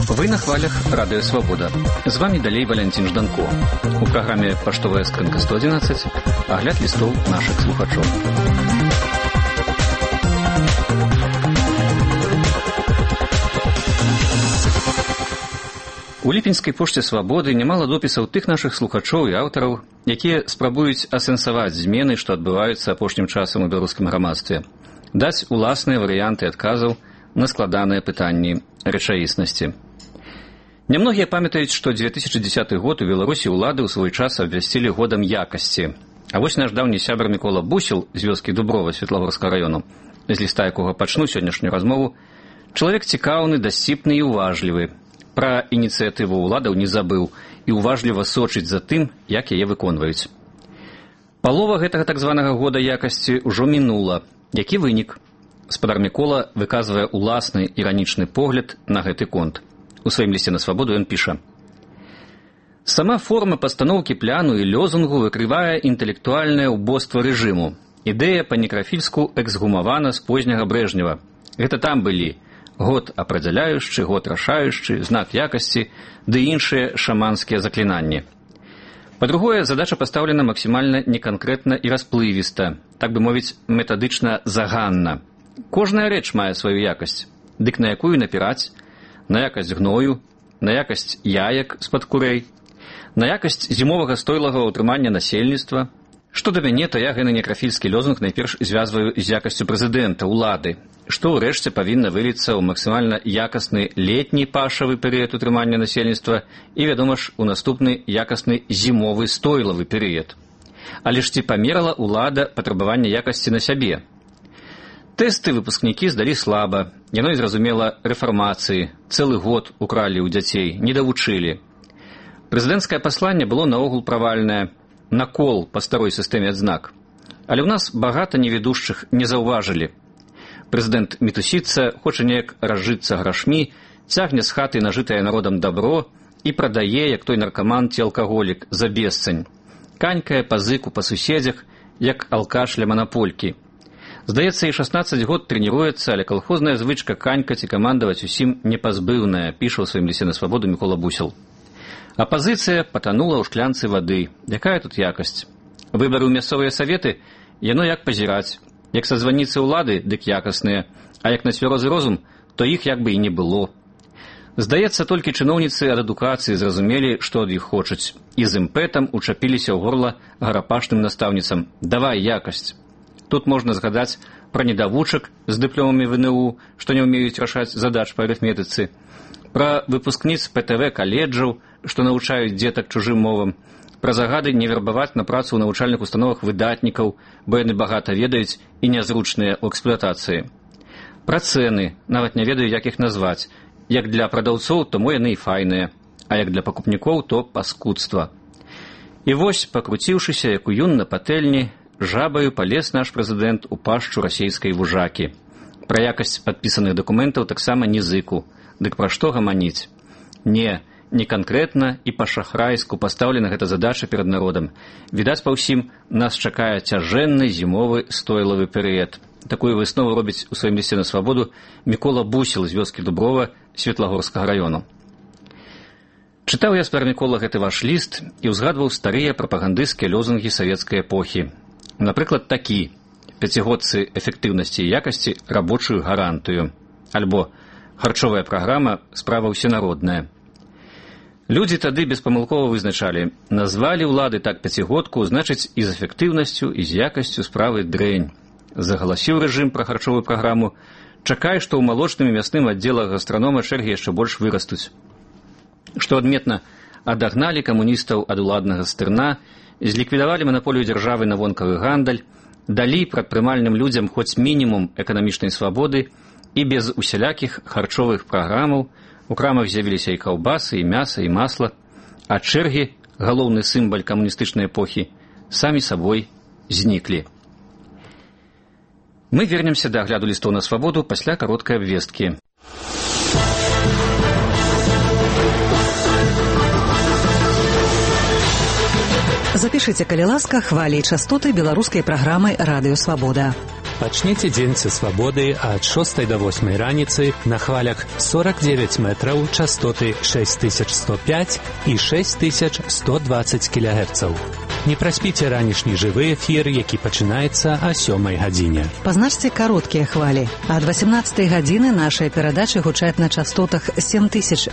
Вы на хвалях Радио Свобода. З вами далей Валентин Жданко. У праграме «Паштовая скрынка 111» агляд лістоў нашых слухачоў. У ліпеньскай пошце «Свабоды» нямала допісаў тых нашых слухачоў і аўтараў, якія спрабуюць асэнсаваць змены, што адбываюцца апошнім часам у беларускім грамадстве, даць уласныя варыянты адказаў на складаныя пытанні рэчаіснасці. Нямногія памятаюць, што 2010 год у Беларусі ўлады ў свой час абвясцілі годам якасці. А вось наш даўні сябар Мікола Бусел з вёскі Дуброва Светлагорскага раёну, з ліста якога пачну сённяшнюю размову, чалавек цікаўны, дасціпны і уважлівы. Пра ініцыятыву ўладаў не забыў і уважліва сочыць за тым, як яе выконваюць. Палова гэтага так званага года якасці ўжо мінула. Які вынік? Спадар Мікола выказвае уласны іранічны погляд на гэты конт. У сваім лісце на свабоду ён піша: «Сама форма пастаноўкі пляну і лёзунгу выкрывае інтэлектуальнае ўбоства рэжыму. Ідэя па-некрафільску эксгумавана з позняга Брэжнева. Гэта там былі год апрадзяляючы, год рашаючы, знак якасці ды іншыя шаманскія заклінанні. Па-другое, задача пастаўлена максімальна неканкрэтна і расплывіста, так бы мовіць, метадычна заганна. Кожная рэч мае сваю якасць, дык на якую напіраць? На якасць гною, на якасць яек з-пад курэй, на якасць зімовага стойлага ўтрымання насельніцтва. Што да мяне, то я гэны некрафільскі лёзунг найперш звязваю з якасцю прэзідэнта, улады, што ўрэшце павінна выліцца ў максімальна якасны летні пашавы перыяд утрымання насельніцтва і, вядома ж, у наступны якасны зімовы стойлавы перыяд. Але ж ці памерала ўлада патрабавання якасці на сябе? Тэсты выпускнікі здалі слаба, яно і зразумела рэфармацыі, цэлы год укралі ў дзяцей, не давучылі. Прэзідэнцкае пасланне было наогул правальнае, накол па старой сістэме адзнак. Але ў нас багата неведушчых не заўважылі. Прэзідэнт мітусіцца, хоча неяк разжыцца грашмі, цягне з хаты нажытае народам дабро і прадае, як той наркаман ці алкаголік, за бесцань. Канькае па зыку па суседзях, як алкаш ля манаполькі. Здаецца, і 16 год трэніруецца, але калхозная звычка канькаць і камандаваць усім непазбыўная, піша ў сваім лісце на свабоду Мікола Бусел. Апазіцыя патанула ў шклянцы вады. Якая тут якасць? Выбары ў мясцовыя саветы, яно як пазіраць. Як са званіцы ўлады, дык якасныя, а як на цвярозы розум, то іх як бы і не было. Здаецца, толькі чыноўніцы ад адукацыі зразумелі, што ад іх хочуць, і з імпэтам учапіліся ў горла гарапашным настаўніцам. Давай якасць. Тут можна згадаць пра недавучак з дыпломамі ВНУ, што не ўмеюць рашаць задач па арыфметыцы, пра выпускніц ПТВ каледжаў, што навучаюць дзетак чужым мовам, пра загады не вербаваць на працу ў навучальных установах выдатнікаў, бо яны багата ведаюць і нязручныя ў эксплуатацыі. Пра цэны, нават не ведаю, як іх назваць. Як для прадаўцоў, то мо яны і файныя, а як для пакупнікоў, то паскудства. І вось, пакруціўшыся, як у юн на патэльні, жабаю палез наш прэзідэнт у пашчу расейскай вужакі. Пра якасць падпісаных дакументаў таксама не зыку. Дык пра што гаманіць? Не канкрэтна і па-шахрайску пастаўлена гэта задача перад народам. Відаць па ўсім, нас чакае цяжэнны зімовы стойлавы перыяд. Такую выснову робіць у сваім лісце на свабоду Мікола Бусел з вёскі Дуброва Светлагорскага раёну. Чытаў я спадар Мікола гэты ваш ліст і ўзгадваў старыя прапагандысцкія лёзунгі савецкай эпохі. Напрыклад, такі: пяцігодцы эфектыўнасці і якасці рабочую гарантыю. Альбо харчовая праграма справа ўсенародная. Людзі тады беспамылкова вызначалі: назвалі ўлады так пяцігодку, значыць і з эфектыўнасцю, і з якасцю справы дрэнь. Загаласіў рэжым пра харчовую праграму, чакай, што ў малочным і мясным аддзелах гастранома чэргі яшчэ больш вырастуць. Што адметна, адагналі камуністаў ад уладнага стырна, зліквідавалі манаполію дзяржавы на вонкавы гандаль, далі прадпрымальным людзям хоць мінімум эканамічнай свабоды і без усялякіх харчовых праграмаў у крамах з'явіліся і каўбасы, і мяса, і масла, а чэргі, галоўны сімвал камуністычнай эпохі, самі сабой зніклі. Мы вернемся да агляду лістоў на свабоду пасля кароткай абвесткі. Запішыце, калі ласка, хвалі і частоты беларускай праграмы «Радыё Свабода». Пачніце дзень са свабоды ад 6 до 8 раніцы на хвалях 49 метраў, частоты 6105 і 6120 кГц. Не праспіце ранішні жывы эфір, які пачынаецца о 7 гадзіне. Пазначце кароткія хвалі. Ад 18 гадзіны нашыя перадачы гучаць на частотах 7270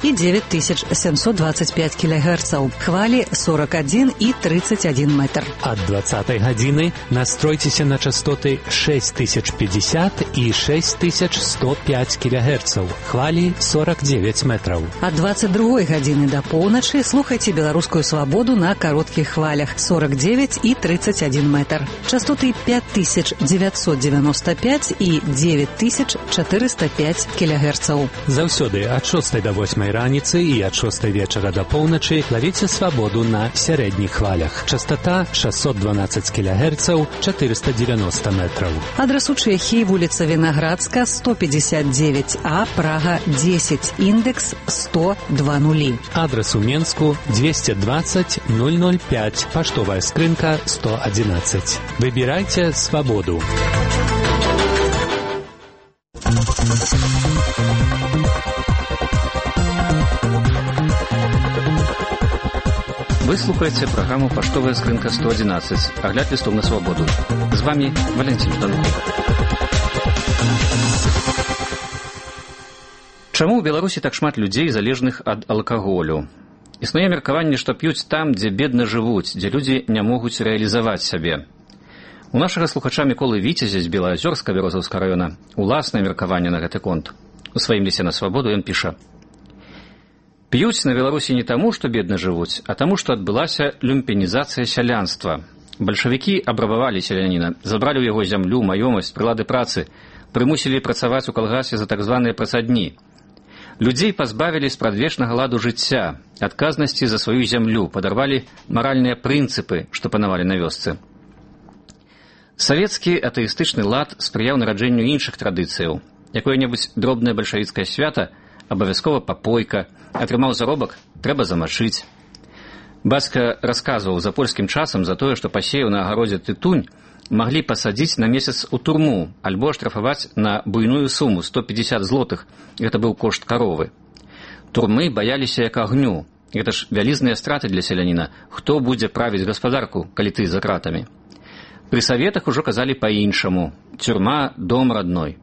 і 9725 кГц. Хвалі 41 і 31 метр. Ад 20 гадзіны настройцеся на частоты 6050 і 6105 кГц. Хвалі 49 метраў. Ад 22 гадзіны до поўначы слухайце беларускую свабоду на кароткіх хвалях 49 і 31 метр. Частоты 5995 і 9405 кГц. Заўсёды ад 6 до 8 раніцы і ад 6 вечара до поўначы лавіце свабоду на сярэдніх хвалях. Частота 612 кГц, 490 метров. Адрес у Чехии, вулица Виноградска, 159А, Прага, 10, индекс 10020. Адрес у Менску, 220 005, поштовая скрынка 111. Выбирайте свободу. Вы слухаете программу «Поштовая скрынка 111». Огляд листов на свободу. С вами Валентин Жданков. Чаму ў Беларусі так шмат людзей, залежных ад алкаголю? Існуе меркаванне, што п'юць там, дзе бедна жывуць, дзе людзі не могуць рэалізаваць сябе. У нашага слухача Міколы Віцязя з Белаазёрска Бярозаўскага раёна уласнае меркаванне на гэты конт. У сваім лісце на свабоду ён піша: «П'юць на Беларусі не таму, што бедна жывуць, а таму, што адбылася люмпенізацыя сялянства. Бальшавікі абрабавалі селяніна, забралі ў яго зямлю, маёмасць, прылады працы, прымусілі працаваць у калгасе за так званыя працадні. Людзей пазбавілі спрадвечнага ладу жыцця, адказнасці за сваю зямлю, падарвалі маральныя прынцыпы, што панавалі на вёсцы. Савецкі атэістычны лад спрыяў нараджэнню іншых традыцыяў. Якое-небудзь дробнае бальшавіцкае свята, абавязкова папойка, атрымаў заробак, трэба замачыць. Бацька расказваў за польскім часам за тое, што пасеяў на агародзе тытунь, маглі пасадзіць на месяц у турму, альбо штрафаваць на буйную суму 150 злотых. Гэта быў кошт каровы. Турмы баяліся як агню. Гэта ж вялізныя страты для селяніна. Хто будзе правіць гаспадарку, калі ты за кратамі? Пры саветах ужо казалі па-іншаму. Тюрма – дом родной.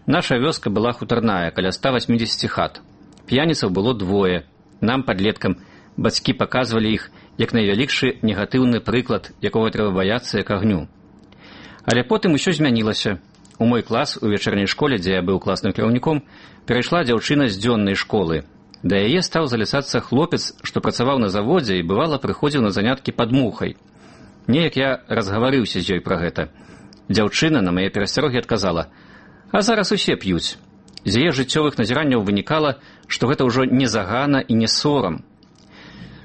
Наша вёска была хутарная, каля 180 хат. П'яніцаў было двое. Нам, падлеткам, бацькі паказвалі іх як найвялікшы негатыўны прыклад, якога трэба баяцца як агню. Але потым усё змянілася. У мой клас у вечарняй школе, дзе я быў класным кіраўніком, перайшла дзяўчына з дзённай школы. Да яе стаў заляцацца хлопец, што працаваў на заводзе і бывала прыходзіў на заняткі пад мухай. Неяк я разгаварыўся з ёй пра гэта. Дзяўчына на мае перасцярогі адказала: «А зараз усе п'юць». З яе жыццёвых назіранняў вынікала, што гэта ўжо не загана і не сорам.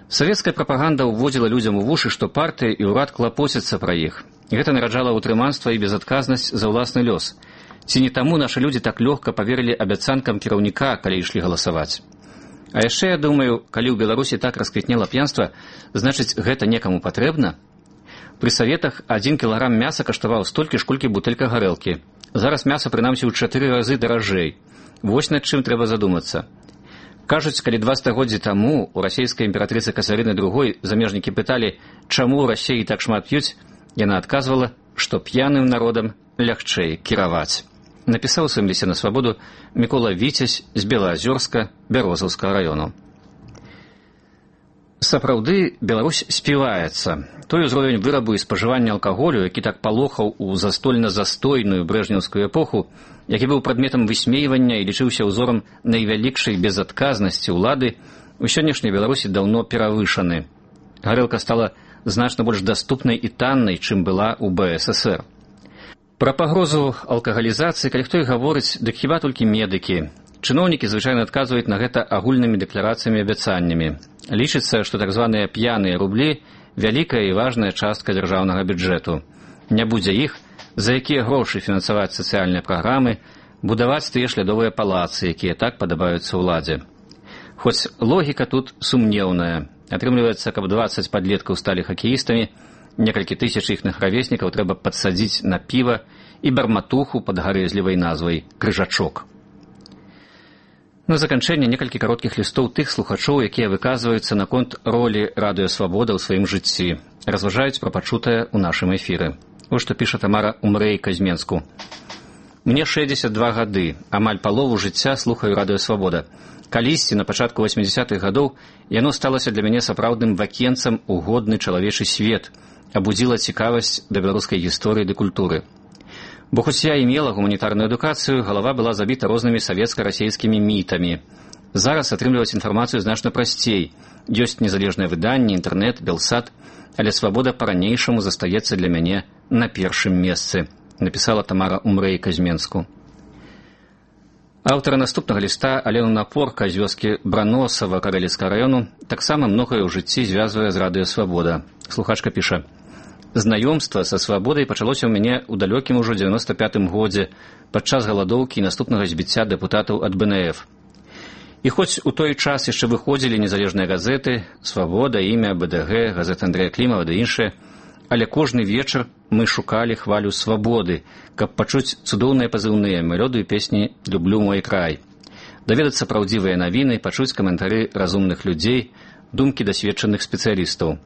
Савецкая прапаганда ўводзіла людзям у вушы, што партыя і ўрад клапоцяцца пра іх. Гэта нараджала ўтрыманства і безадказнасць за ўласны лёс. Ці не таму нашы людзі так лёгка паверылі абяцанкам кіраўніка, калі ішлі галасаваць? А яшчэ я думаю, калі ў Беларусі так расквітнела п'янства, значыць, гэта некаму патрэбна? Пры саветах 1 кілаграм мяса каштаваў столькі ж, колькі бутэлька гарэлкі. Зараз мяса прынамсі ў 4 разы даражэй. Вось над чым трэба задумацца. Кажуць, калі 2 стагоддзі таму у расійскай імператрыцы Кацярыны II замежнікі пыталі, чаму ў Расіі так шмат п'юць, яна адказвала, што п'яным народам лягчэй кіраваць. Напісаў у сваім лісце на свабоду Мікола Віцязь з Белаазёрска Бярозаўскага раёну. Сапраўды, Беларусь співаецца. Той узровень вырабу і спажывання алкаголю, які так палохаў у застольна-застойную брэжнеўскую эпоху, які быў прадметам высмейвання і лічыўся ўзорам найвялікшай безадказнасці ўлады, у сённяшняй Беларусі даўно перавышаны. Гарэлка стала значна больш даступнай і таннай, чым была ў БССР. Пра пагрозу алкагалізацыі, калі хто і гаворыць, дык хіба толькі медыкі. Чыноўнікі звычайна адказваюць на гэта агульнымі дэкларацыямі і абяцаннямі. Лічыцца, што так званыя п'яныя рублі – вялікая і важная частка дзяржаўнага бюджэту. Не будзе іх, за якія грошы фінансаваць сацыяльныя праграмы, будаваць тыя шлядовыя палацы, якія так падабаюцца ўладзе. Хоць логіка тут сумнеўная. Атрымліваецца, каб 20 падлеткаў сталі хакеістамі, некалькі тысяч іхных равеснікаў трэба падсадзіць на піва і барматуху пад гарэзлівай назвай «Крыжачок». На заканчэнне некалькі кароткіх лістоў тых слухачоў, якія выказваюцца наконт ролі радыё «Свабода» ў сваім жыцці, разважаюць пра пачутае ў нашым эфіры. Вось што піша Тамара Умрэйка з Менску. «Мне 62 гады, амаль палову жыцця слухаю радыё «Свабода». Калісьці, на пачатку 80-х гадоў, яно сталася для мяне сапраўдным вакенцам у годны чалавечы свет, абудзіла цікавасць да беларускай гісторыі ды культуры. Бо хоць я і мела гуманітарную адукацыю, галава была забіта рознымі савецка-расейскімі мітамі. Зараз атрымліваць інфармацыю значна прасцей. Ёсць незалежнае выданне, інтэрнэт, Белсат, але «Свабода» па-ранейшаму застаецца для мяне на першым месцы», напісала Тамара Умрэйка з Менску. Аўтара наступнага ліста Алену Напорка з вёскі Браносава Карэліцкага раёну таксама многае ў жыцці звязвае з радыё «Свабода». Слухачка піша: «Знаёмства са «Свабодай» пачалося ў мяне ў далёкім ужо 95-м годзе падчас галадоўкі і наступнага збіцця дэпутатаў ад БНФ. І хоць у той час яшчэ выходзілі незалежныя газеты «Свабода», «Імя», БДГ, газета Андрэя Клімава ды іншыя, але кожны вечар мы шукалі хвалю свабоды, каб пачуць цудоўныя пазыўныя мелодыі песні «Люблю мой край», даведацца праўдзівыя навіны, пачуць каментары разумных людзей, думкі дасведчаных спецыялістаў.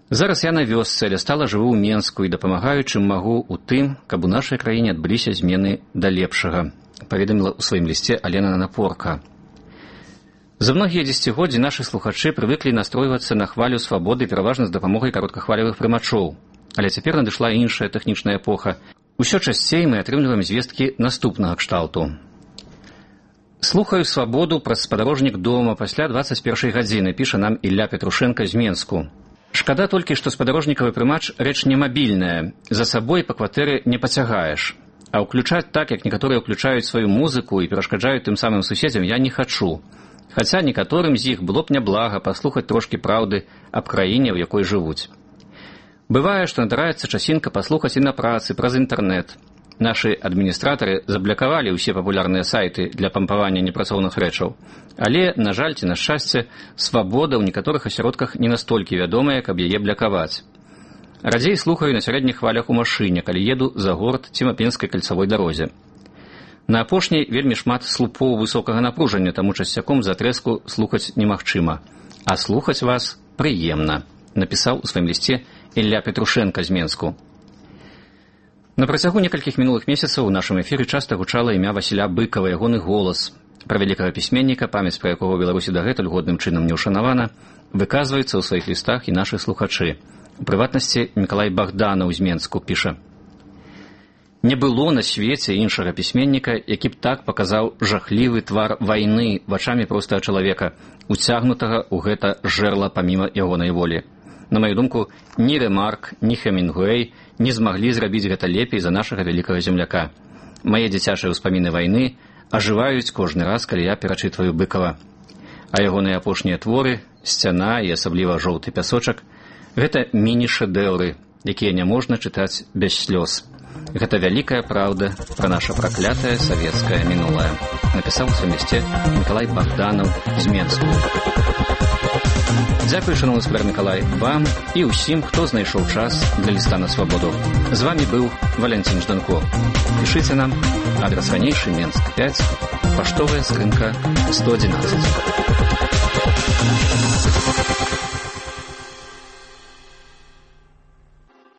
Зараз я на вёсцы, але стала жыву ў Менску і дапамагаю, чым магу ў тым, каб у нашай краіне адбыліся змены да лепшага», паведаміла ў сваім лісце Алена Напорка. За многія дзесяцігоддзі нашы слухачы прывыклі настройвацца на хвалю «Свабоды» пераважна з дапамогай кароткахвалевых прымачоў. Але цяпер надышла іншая тэхнічная эпоха. Усё часцей мы атрымліваем звесткі наступнага кшталту. «Слухаю «Свабоду» праз спадарожнік дома пасля 21 гадзіны», піша нам Ілля Петрушенка з Менску. «Шкада толькі, што спадарожнікавы прымач рэч не мабільная, за сабой па кватэры не пацягаеш. А ўключаць так, як некаторыя ўключаюць сваю музыку і перашкаджаюць тым самым суседзям, я не хачу. Хаця некаторым з іх было б няблага паслухаць трошкі праўды аб краіне, у якой жывуць. Бывае, што надараецца часінка паслухаць і на працы праз інтэрнэт. Нашы адміністратары заблакавалі ўсе папулярныя сайты для пампавання непрацоўных рэчаў. Але, на жаль ці на шчасце, «Свабода» ў некаторых асяродках не настолькі вядомая, каб яе блакаваць. Радзей слухаю на сярэдніх хвалях у машыне, калі еду за горад ці Мапенскай кальцавой дарозе. На апошняй вельмі шмат слупоў высокага напружання, таму часцяком за трэску слухаць немагчыма. А слухаць вас прыемна», напісаў у сваім лісце Ілля Петрушенка з Менску. На працягу некалькіх мінулых месяцаў у нашым эфіры часта гучала імя Васіля Быкава, ягоны голас. Пра вялікага пісьменніка, памяць пра якога ў Беларусі дагэтуль годным чынам не ўшанавана, выказваецца ў сваіх лістах і нашы слухачы. У прыватнасці Мікалай Багданаў з Менску піша: «Не было на свеце іншага пісьменніка, які б так паказаў жахлівы твар вайны вачамі простага чалавека, уцягнутага ў гэта жерла паміма ягонай волі. На маю думку, ні Рэмарк, ні Хемінгуэй не змаглі зрабіць гэта лепей за нашага вялікага земляка. Мае дзіцячыя ўспаміны вайны ажываюць кожны раз, калі я перачытваю Быкава. А ягоныя апошнія творы, «Сцяна» і асабліва «Жоўты пясочак» — гэта міні-шэдэўры, якія няможна чытаць без слёз. Гэта вялікая праўда пра наша праклятае савецкае мінулае», напісаў у сваім лісце Мікалай Багданаў з Менску. Дзякуй, шановны спадар Мікалай, вам і ўсім, хто знайшоў час для ліста на «Свабоду». З вами быў Валянцін Жданко. Пішыце нам, адрас ранейшы, Менск 5, паштовая скрынка 111.